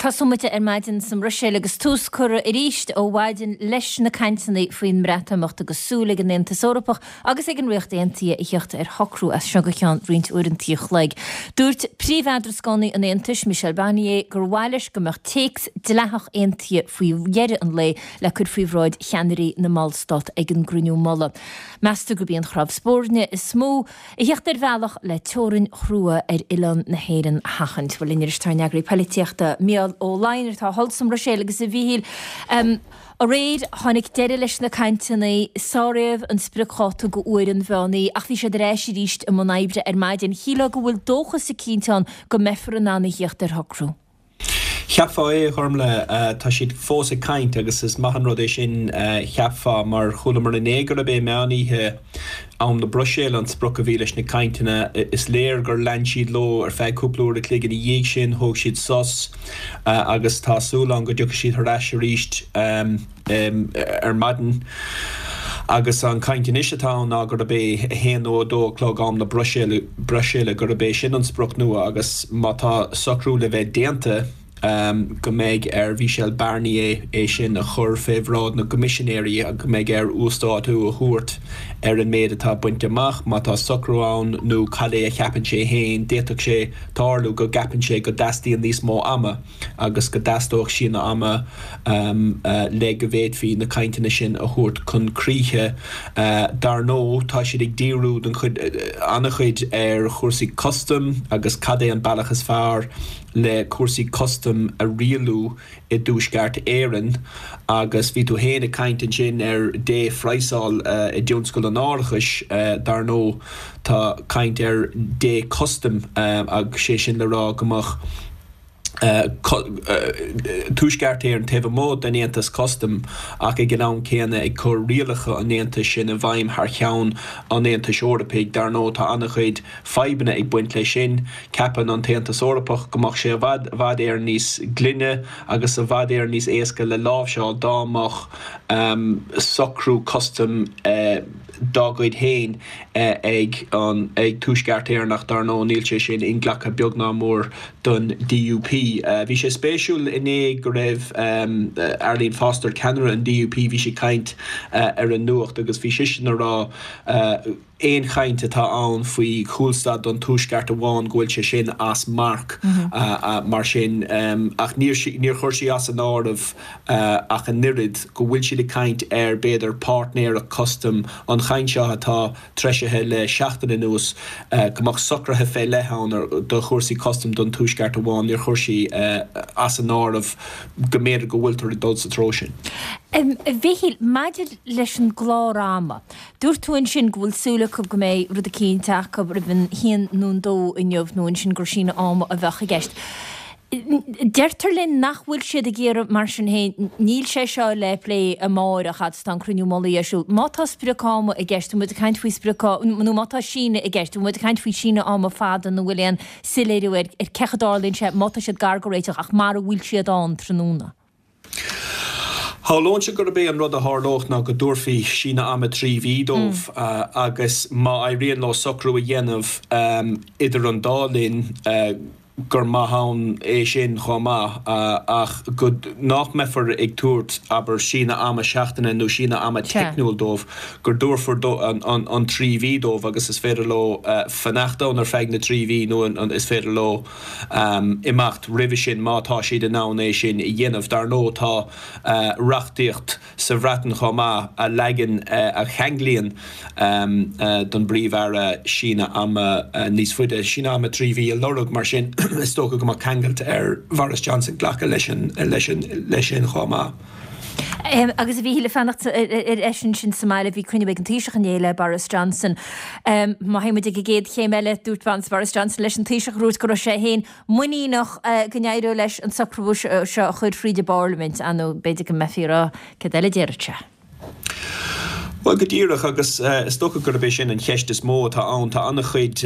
Tosóidh muid ar maidin sa mBruiséil agus tús curtha arís ó mhaidin leis na cainteanna faoin mBreatimeacht agus súil ag an Aontas Eorpach agus ag an Ríocht Aontaithe a theacht ar shocrú as seo go ceann roinnt uaireanta an chloig. Dúirt príomh-eadrascánaí an Aontais, Michel Barnier, gur mhaith leis go mbeadh téacs dleathach aontaithe faoi dheireadh an lae le cur faoi bhráid cheannairí na mballstát ag an gcruinniú mullaigh. Meastar gurb í an chnámh spairne is mó a theacht ar bhealach le teorainn chrua ar oileán na hÉireann a sheachaint. Bhuel, linn arís tá ár n-eagraí poilitíochta, Mícheál Ó Laighin, atá thall sa mBruiséil agus a Mhíchíl, aréir tháinig deireadh leis na cainteanna, sáraíodh an spriocdháta go uair an mheán oíche ach bhí siad ar ais arís i mbun oibre ar maidin. Shílfeá go bhfuil dóchas eicínt ann go mbeifear in ann a theacht ar shocrú. Cheapfá é, a Ghormlaith. Tá siad fós ag caint agus is maith an rud é sin, cheapfá, mar chualamar inné gurb é meán oíche am na Bruiséile an sprioc a bhí leis na cainteanna. Is léir gur lean siad leo ar feadh cúpla uair a chloig ina dhiaidh sin, thóg siad sos agus tá súil ann go dtiocfaidh siad thar ais arís. ar maidin agus an chaint anois atá ann ná gurb é a haon nó a dó a chlog am na Bruiséile, gurb é sin an sprioc nua agus má tá socrú le bheith déanta go mbeidh ar Mhichel Barnier é sin a chur fé bhráid na gCoimisinéirí agus go mbeidh air uasdátú a thabhairt ar an méid atá bainte amach, má tá socrú ann nó cad é a cheapann sé féin. D'fhéadfadh sé tarlú go gceapann sé go dteastaíonn níos mó ama. agus go dteastódh síneadh ama le go bhféadfaí na cainteanna sin a thabhairt chun críche. Dar ndóigh, tá siad ag díriú den chuid, an-chuid ar chúrsaí custaim agus cad é an bealach is fearr le cúrsaí custaim a rialú i dTuaisceart Éireann agus bhí tú féin ag caint ansin ar dé-phraghsáil i dtionscal an árachais, dar ndóigh tá caint ar dé-custaim agus sé sin le rá go mbeadh. Tuaisceart Éireann taobh amuigh den Aontas Custaim ach ag an am céanna ag cur rialacha an Aontais sin i bhfeidhm thar cheann an Aontais Eorpaigh. Dar ndóigh tá an-chuid fadhbanna ag baint leis sin. Ceapann an tAontas Eorpach go mbeadh sé i bhfad i bhfad Éireann níos glaine agus i bhfad Éireann níos éasca le láimhseáil dá mbeadh socrú custaim dá gcuid féin ag an ag Tuaisceart Éireann ach dar ndóigh níl sé sin inghlactha beag ná mór don DUP. Bhí sé spéisiúil inné go raibh Arlene Foster, ceannaire an DUP, bhí sí ag caint ar an nuacht agus bhí sise ag rá aon chaint atá ann faoi chúlstad don Tuaisceart amháin go bhfuil sé sin as marc mar sin ach níor níor chuir sí as an áireamh ach an oiread go bhfuil siad ag caint ar b'fhéidir páirtnéireacht custaim an chaint seo atá treisithe le seachtain anuas go mbeadh socruithe fé leith ann do chúrsaí custaim don Tuaisceart amháin, níor chuir sí as an áireamh go mb'fhéidir go bhfuiltear ag dul sa treo sin. A Mhichíl, maidir leis an gclár ama, dúirt tú ansin go bhfuil súil acu go mbeidh rud eicínt acu roimh an haon nó an dó inniu nó ansin gur síneadh ama a bheadh i gceist. Deirtear linn nach bhfuil siad ag iarraidh, mar sin féin, níl sé seo le plé amáireach fhad is atá an cruinniú mullaigh ar siúl. Má tá sprioc ama i gceist, bhfuil muid ag caint faoi sprioc, nó má tá síneadh i gceist, bhfuil muid ag caint faoi síneadh ama fada nó bhfuil aon soiléiriú ar cén chaoi a dtarlaíonn sé má tá siad gar do réiteach ach mara bhfuil siad ann tráthnóna? Shamhlóinnse gurb é an rud a tharlódh ná go dtabharfaí síneadh ama 3 mhí dóibh agus má éiríonn leo socrú a dhéanamh idir an dá linn, gur maith ann é sin chomh maith, ach go nach mbeifear ag tabhairt, abair, síneadh ama seachtaine nó síneadh ama teicniúil dóibh, go dtabharfar an 3 mhí dóibh agus is féidir leo fanacht ann ar feadh na dtrí mhí nó is féidir leo imeacht roimhe sin má tá siad in ann é sin a dhéanamh. Dar ndóigh tá reachtaíocht sa Bhreatain chomh maith a leagann, a cheanglaíonn don bPríomh-Aire síneadh ama níos faide, síneadh ama 3 mhí a lorg, mar sin is dócha go mbeadh ceangailt ar Bhoris Johnson glacadh leis sin chomh maith. Agus a Mhíchíl, ag fanacht ar ais ansin sa mbaile, bhí cruinniú ag an Taoiseach inné le Boris Johnson. Má théann muid ag an gcéad chéim eile, dúirt Boris Johnson leis an Taoiseach, dúirt go raibh sé féin muiníneach go n-éireodh leis an socrú seo a chur fríd an bParlaimint, nó b'fhéidir go mbeifí ag rá céard eile a déarfadh sé. Bhuel, go díreach, agus is dócha gurb é sin an cheist is mó atá ann. Tá an-chuid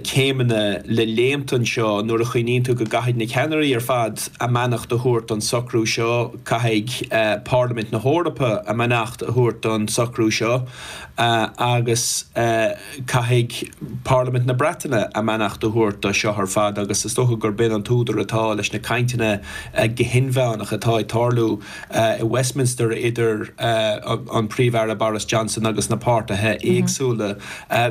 céimeanna le léimt anseo nuair a chuimhníonn tú go gcaithfidh na ceannairí ar fad a mbeannacht a thabhairt don socrú seo, caithfidh Parlaimint na hEorpa a mbeannacht a thabhairt don socrú seo agus caithfidh Parlaimint na Breataine a mbeannacht a thabhairt do seo ar fad agus is dócha gurb in an t-údar atá leis na cainteanna go hinmheánach atá ag tarlú. i Westminster idir an Príomh-Aire Boris Johnson agus na páirtithe éagsúla.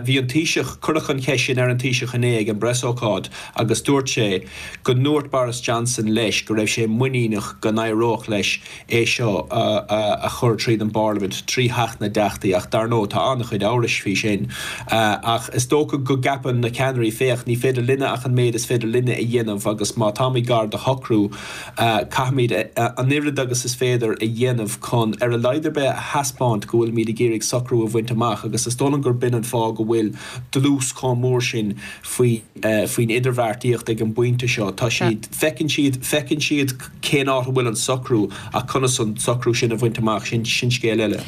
Bhí an Taoiseach, cuireadh an cheist sin ar an Taoiseach inné ag an bpreasócáid agus dúirt sé go ndúirt Boris Johnson leis go raibh sé muiníneach go n-éireodh leis é seo a chur tríd an bParlaimint, trí Theach na dTeachtaí ach dar ndóigh tá an-chuid amhrais faoi sin. Ach is dócha go gceapann na ceannairí, féach, ní féidir linne ach an méid is féidir linne a dhéanamh agus má táimid gar do shocrú, Caithfimid an oiread agus is féidir a dhéanamh chun, ar a laghad ar bith, a thaispeáint go bhfuilimid ag iarraidh socrú a bhaint amach agus is dóigh liom gur b'in an fáth go bhfuil dlús chomh mór sin faoi faoin idirbheartaíocht ag an bpointe seo. Tá siad, feiceann siad, feiceann siad cén áit a bhfuil an socrú ach conas an socrú sin a bhaint amach, sin, sin scéal eile.